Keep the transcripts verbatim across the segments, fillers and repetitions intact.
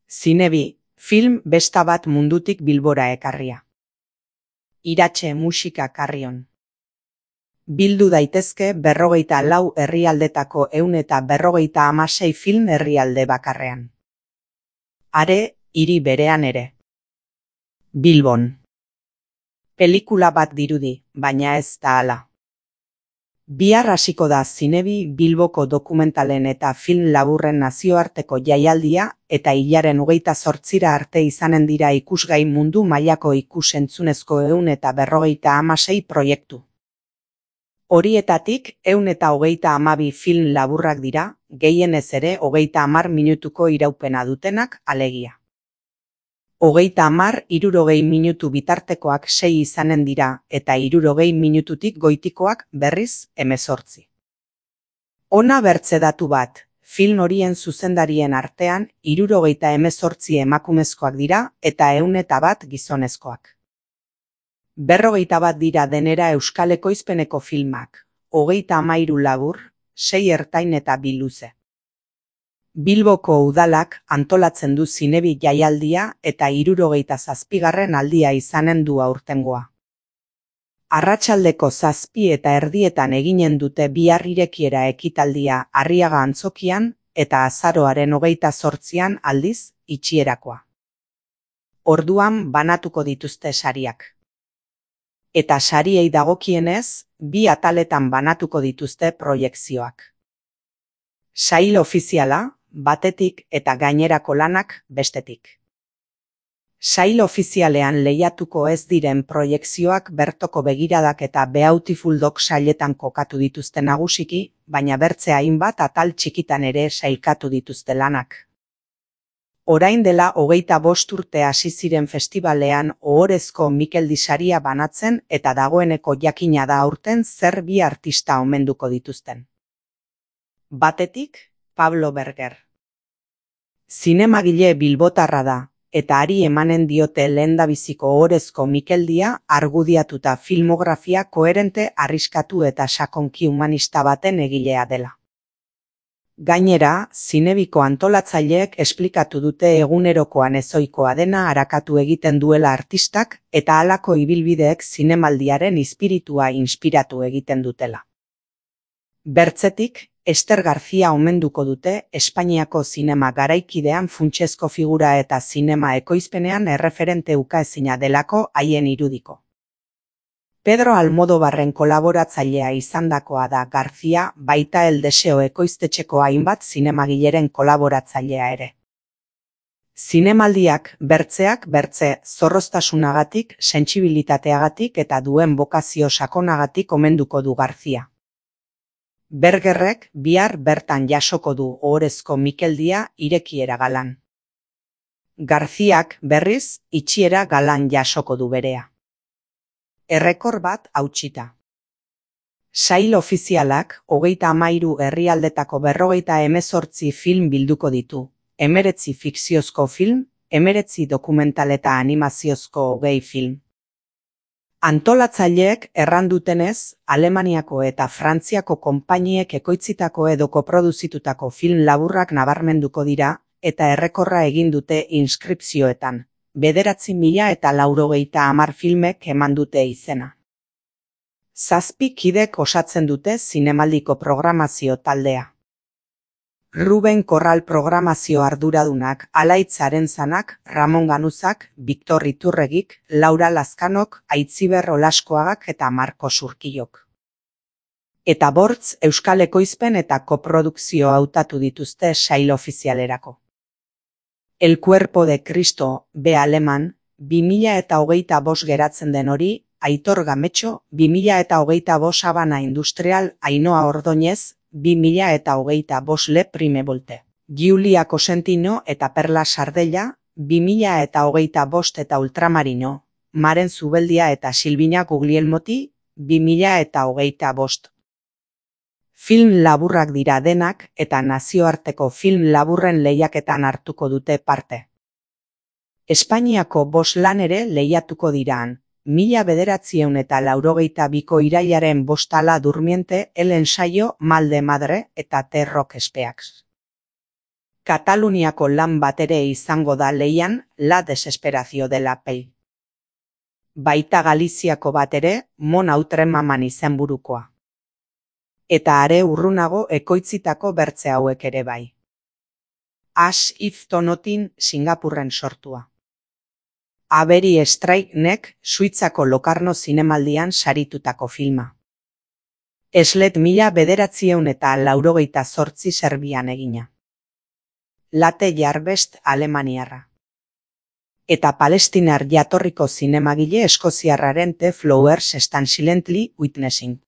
Zinebi, film besta bat mundutik Bilbora ekarria. Iratxe musika karrion. Bildu daitezke berrogeita lau herrialdetako ehun eta berrogeita hamasei film herrialde bakarrean. Are, hiri berean ere. Bilbon. Pelikula bat dirudi, baina ez da hala. Bihar hasiko da Zinebi Bilboko dokumentalen eta film laburren nazioarteko jaialdia eta hilaren hogeita zortzira arte izanen dira ikusgai mundu mailako ikus-entzunezko ehun eta berrogeita hamasei proiektu. Horietatik ehun eta hogeita hamabi film laburrak dira, gehienez ere hogeita hamar minutuko iraupena dutenak alegia. Hogeita hamar hirurogei minutu bitartekoak sei izanen dira eta hirurogei minututik goitikoak berriz hemezortzi. Hona bertze datu bat, film horien zuzendarien artean hirurogeita hemezortzi emakumezkoak dira eta ehun eta bat gizonezkoak. Berrogeita bat dira denera euskal ekoizpeneko filmak, hogeita hamairu labur, sei ertain eta bi luze. Bilboko udalak antolatzen du Zinebi jaialdia eta hirurogeita zazpigarren aldia izanen du aurtengoa. Arratsaldeko zazpi eta erdietan eginen dute bihar irekiera ekitaldia Arriaga antzokian eta azaroaren hogeita zortzian aldiz itxierakoa. Orduan banatuko dituzte sariak. Eta sariei dagokienez, bi ataletan banatuko dituzte proiekzioak. Sail ofiziala, batetik eta gainerako lanak bestetik. Sail ofizialean lehiatuko ez diren proiekzioak bertoko begiradak eta Beautiful Dog sailetan kokatu dituzte nagusiki, baina bertze hainbat atal txikitan ere sailkatu dituzte lanak. Orain dela hogeita bost urte hasi ziren festivalean ohorezko Mikeldi saria banatzen eta dagoeneko jakina da aurten zer bi artista omenduko dituzten. Batetik, Pablo Berger. Zinemagile bilbotarra da, eta hari emanen diote lehendabiziko ohorezko Mikeldia argudiatuta filmografia koherente arriskatu eta sakonki humanista baten egilea dela. Gainera, Zinebiko antolatzaileek esplikatu dute egunerokoan ezoikoa dena arakatu egiten duela artistak eta halako ibilbideek zinemaldiaren espiritua inspiratu egiten dutela. Bertzetik, Ester García omenduko dute Espainiako zinema garaikidean funtsezko figura eta zinema ekoizpenean erreferente ukaezina delako haien irudiko. Pedro Almodóvarren kolaboratzailea izandakoa da García, baita El Deseo ekoiztetxeko hainbat zinemagileren kolaboratzailea ere. Zinemaldiak bertzeak bertze zorroztasunagatik, sentsibilitateagatik eta duen bokazio sakonagatik omenduko du García. Bergerrek bihar bertan jasoko du ohorezko Mikeldia irekiera galan. Garziak berriz itxiera galan jasoko du berea. Errekor bat hautsita. Sail ofizialak hogeita hamairu herrialdetako berrogeita hemezortzi film bilduko ditu, hemeretzi fikziozko film, hemeretzi dokumental eta animaziozko hogei film. Antolatzaileek errandutenez, Alemaniako eta Frantziako konpainiek ekoitzitako edo koproduzitutako film laburrak nabarmenduko dira eta errekorra egin dute inskripzioetan, bederatzi mila eta laurogeita hamar filmek eman dute izena. Zazpi kidek osatzen dute zinemaldiko programazio taldea. Ruben Korral programazio arduradunak, Alaitz Arenzanak, Ramon Ganuzak, Victor Iturregik, Laura Lazkanok, Aitziber Olaskoagak eta Marko Surkillok. Eta bortz euskal ekoizpen eta koprodukzio hautatu dituzte sail ofizialerako. El Cuerpo de Cristo, B. Aleman, bi mila eta hogeita bost geratzen den hori, Aitor Gametxo, bi mila eta hogeita bost Habana Industrial, Ainhoa Ordoñez, bi mila eta hogeita bost Le Prime Volte. Giulia Cosentino eta Perla Sardella, bi mila eta hogeita bost eta Ultramarino, Maren Zubeldia eta Silvina Guglielmoti, bi mila eta hogeita bost. Film laburrak dira denak eta nazioarteko film laburren lehiaketan hartuko dute parte. Espainiako bost lan ere lehiatuko diraan, mila bederatziehun eta laurogeita biko irailaren bostala Durmiente, El Ensayo, Mal de Madre eta The Rock Speaks. Kataluniako lan bat ere izango da leian La Desesperación de la Pell. Baita Galiziako bat ere Mon Outremaman izenburukoa. Eta are urrunago ekoitzitako bertze hauek ere bai. As if Tonotin Singapurren sortua. Aberi Strike-nek Suitzako Locarno zinemaldian saritutako filma. Eslet mila bederatzieun eta laurogeita zortzi Serbian egina. Late Jarbest Alemaniarra. Eta palestinar jatorriko zinemagile eskoziarraren The Flowers Stand Silently Witnessing.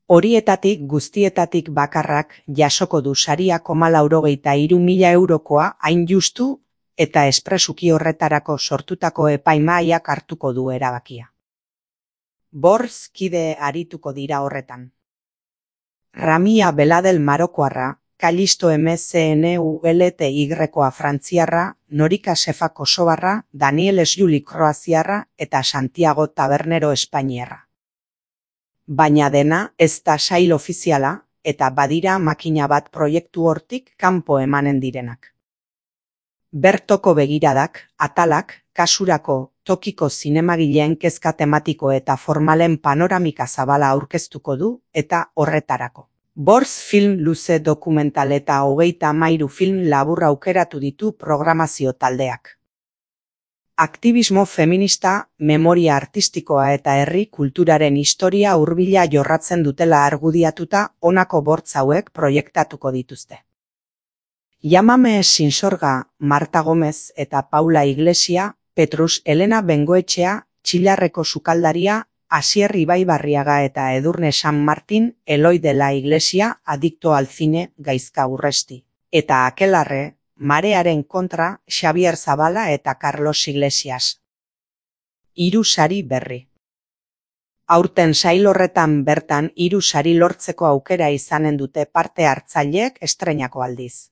Horietatik guztietatik bakarrak jasoko du saria koma laurogeita hiru mila eurokoa hain justu eta espresuki horretarako sortutako epaimahaiak hartuko du erabakia. Borz kide arituko dira horretan. Ramia Beladel Marokoarra, Kalisto M C N U L T Y-koa Frantziarra, Norika Sefa Kosovarra, Daniel Esjuli Kroaziarra eta Santiago Tabernero Espainiarra. Baina dena ez da sail ofiziala eta badira makina bat proiektu hortik kanpo emanen direnak. Bertoko begiradak, atalak, kasurako, tokiko zinemagileen kezka tematiko eta formalen panoramika zabala aurkeztuko du eta horretarako. Borz film luze dokumental eta hogeita hamairu film labur aukeratu ditu programazio taldeak. Aktibismo feminista, memoria artistikoa eta herri kulturaren historia hurbila jorratzen dutela argudiatuta honako bortz hauek proiektatuko dituzte. Llámame sin sorga, Marta Gómez eta Paula Iglesia, Petrus Elena Bengoetxea, Txilarreko sukaldaria, Asier Ibaibarriaga eta Edurne San Martin, Eloi de la Iglesia, Adicto al cine, Gaizka Urresti. Eta Akelarre, Marearen kontra, Xavier Zabala eta Carlos Iglesias. Hiru sari berri. Aurten sail horretan bertan hiru sari lortzeko aukera izanen dute parte hartzaileek estreinako aldiz.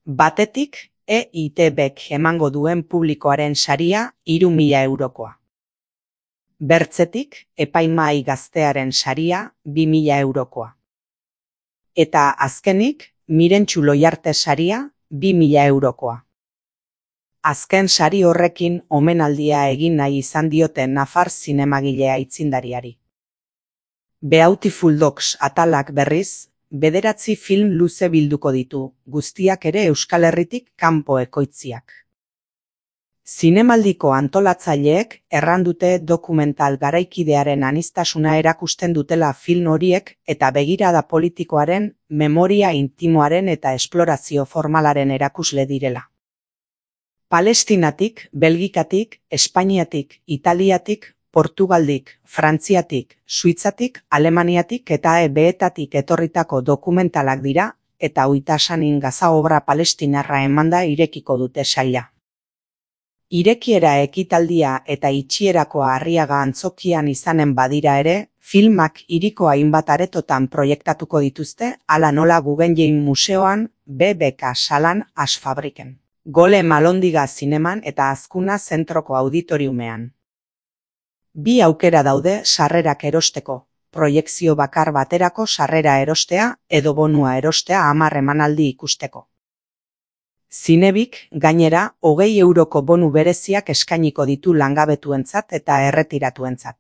Batetik, E I T Bek emango duen publikoaren saria hiru mila eurokoa. Bertzetik, epaimahai gaztearen saria bi mila eurokoa. Eta azkenik, Mirentxu Loiarte saria bi mila eurokoa. Azken sari horrekin omenaldia egin nahi izan diote nafar zinemagilea aitzindariari. Beautiful Dogs atalak berriz, bederatzi film luze bilduko ditu, guztiak ere Euskal Herritik kanpo ekoitziak. Zinemaldiko antolatzaileek errandute dokumental garaikidearen aniztasuna erakusten dutela film horiek eta begirada politikoaren, memoria intimoaren eta esplorazio formalaren erakusle direla. Palestinatik, Belgikatik, Espainiatik, Italiatik, Portugaldik, Frantziatik, Suitzatik, Alemaniatik eta E B-etatik etorritako dokumentalak dira eta Oitasanin Gaza obra palestinarra emanda irekiko dute saila. Irekiera ekitaldia eta itxierako Arriaga antzokian izanen badira ere, filmak hiriko hainbat aretotan proiektatuko dituzte, hala nola Guggenheim Museoan, B B K salan Asfabriken. Gole Malondiga zineman eta Azkuna zentroko auditoriumean. Bi aukera daude sarrerak erosteko, proiekzio bakar baterako sarrera erostea edo bonua erostea hamar emanaldi ikusteko. Zinebik, gainera, hogei euroko bonu bereziak eskainiko ditu langabetuentzat eta erretiratuentzat.